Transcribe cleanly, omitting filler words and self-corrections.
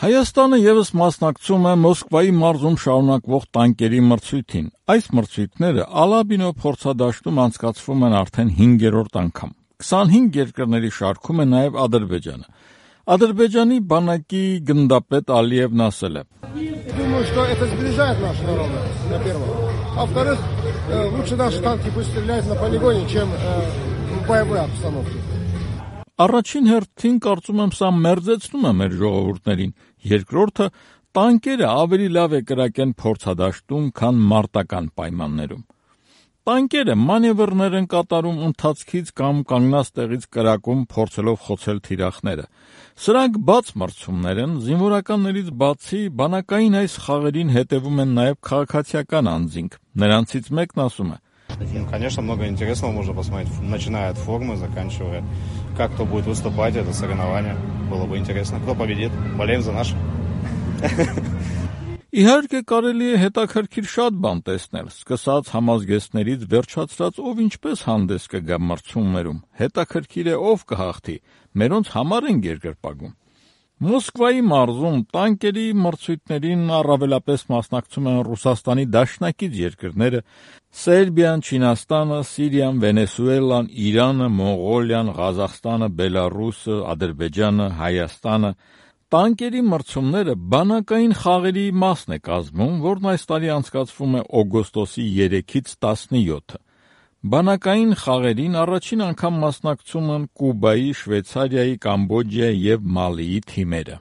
Հայաստանը ևս մասնակցում է Մոսկվայի մարզում շարունակվող տանկերի մրցույթին։ Այս մրցույթները Ալաբինո փորձադաշտում անցկացվում են արդեն 5-րդ անգամ։ 25 երկրների շարքում է նաև Ադրբեջանը։ Ադրբեջանի բանակի գնդապետ Ալիևն ասել է. Думаю, что это сближает наши народы, во-первых. А во-вторых, лучше наши танки пусть стреляют на полигоне, чем в боевой обстановке. Առաջին հերթին կարծում եմ սա մերձեցնում է մեր ժողովուրդներին, երկրորդը տանկերը ավելի լավ է կրակեն փորձադաշտում, քան մարտական պայմաններում։ Տանկերը մանևրներ են կատարում ընթացքից կամ կանգնած տեղից կրակում, փորձելով խոցել թիրախները։ Սրանք բաց մրցումներ են, զինվորականներից բացի բանակային այս խաղերին հետևում են նաև քաղաքացիական անձինք։ Նրանցից մեկն ասում է. Конечно, много интересного можно посмотреть, начиная от формы, заканчивая, как кто будет выступать, это соревнование. Было бы интересно. Кто победит? Болеем за наш. Իհարկե կարելի է հետաքրքիր շատ բան տեսնել, սկսած համազգեստներից վերջացրած ով ինչպես հանդես կգա մրցումներում, հետաքրքիր է ով կհաղթի, մերոնց համար են երկրպագում։ Մոսկվայի մարզում տանկերի մրցույթներին առավելապես մասնակցում են Ռուսաստանի դաշնակից երկրները՝ Սերբիան, Չինաստանը, Սիրիան, Վենեսուելան, Իրանը, Մոնղոլիան, Ղազախստանը, Բելարուսը, Ադրբեջանը, Հայաստանը։ Տանկերի մրցումները բանակային խաղերի մասն է կազմում, որն այս տարի անցկացվում է օգոստոսի 3-ից 17-ը։ Բանակային խաղերին առաջին անգամ մասնակցում են Կուբայի, Շվեյցարիայի, Կամբոջայի և Մալիի թիմերը։